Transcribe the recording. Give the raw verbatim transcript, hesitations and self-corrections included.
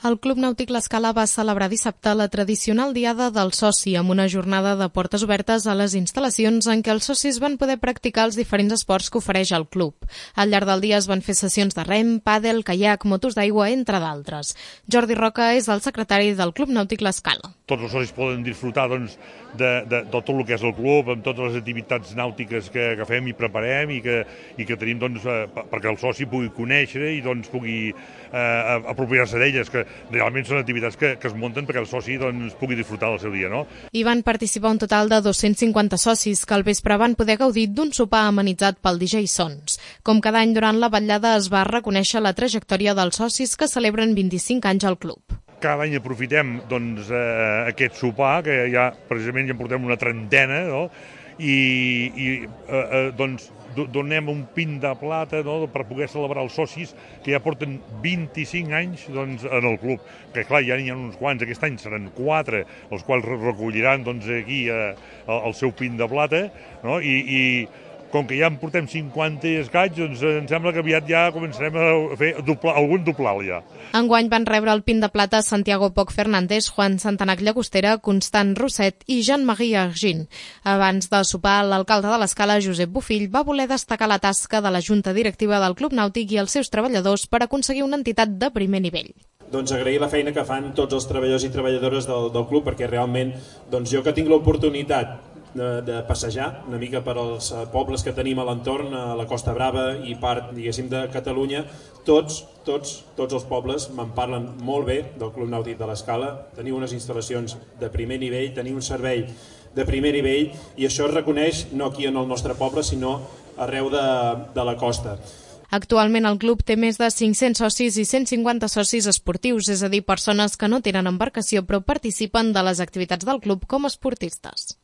El Club Nàutic L'Escala va celebrar dissabte la tradicional Diada del Soci amb una jornada de portes obertes a les instal·lacions en què els socis van poder practicar els diferents esports que ofereix el club. Al llarg del dia es van fer sessions de rem, pàdel, caiac, motos d'aigua, entre d'altres. Jordi Roca és el secretari del Club Nàutic L'Escala. Tots els socis poden disfrutar doncs, de, de, de tot el que és el club, amb totes les activitats nàutiques que, que fem i preparem i que, i que tenim doncs, perquè el soci pugui conèixer i doncs, pugui eh, apropiar-se d'elles, que realment són activitats que, que es munten perquè el soci doncs, pugui disfrutar del seu dia. No? Hi van participar un total de dos-cents cinquanta socis que al vespre van poder gaudir d'un sopar amenitzat pel D J Sons. Com cada any durant la vetllada es va reconèixer la trajectòria dels socis que celebren vint-i-cinc anys al club. Cada any aprofitem doncs, eh, aquest sopar, que ja precisament ja en portem una trentena, no? i, i eh, eh, doncs, donem un pin de plata, no? per poder celebrar els socis que ja porten vint-i-cinc anys doncs, en el club. Que clar, ja n'hi ha uns quants, aquest any seran quatre, els quals recolliran doncs, aquí eh, el seu pin de plata, no? I, i com que ja en portem cinquanta i escaig, doncs em sembla que aviat ja començarem a fer doblar, algun doblar ja. Enguany van rebre el pin de plata Santiago Poch Fernández, Juan Santanac Llagostera, Constant Rosset i Jean-Marie Argin. Abans de sopar, l'alcalde de l'Escala, Josep Bofill, va voler destacar la tasca de la Junta Directiva del Club Nàutic i els seus treballadors per aconseguir una entitat de primer nivell. Doncs agrair la feina que fan tots els treballadors i treballadores del, del club, perquè realment doncs jo que tinc l'oportunitat De, de passejar una mica per als pobles que tenim a l'entorn, a la Costa Brava i part, diguéssim, de Catalunya, tots, tots, tots els pobles me'n parlen molt bé del Club Nàutic de l'Escala. Teniu unes instal·lacions de primer nivell, teniu un servei de primer nivell i això es reconeix no aquí en el nostre poble, sinó arreu de, de la costa. Actualment el club té més de cinc-cents socis i cent cinquanta socis esportius, és a dir, persones que no tenen embarcació però participen de les activitats del club com a esportistes.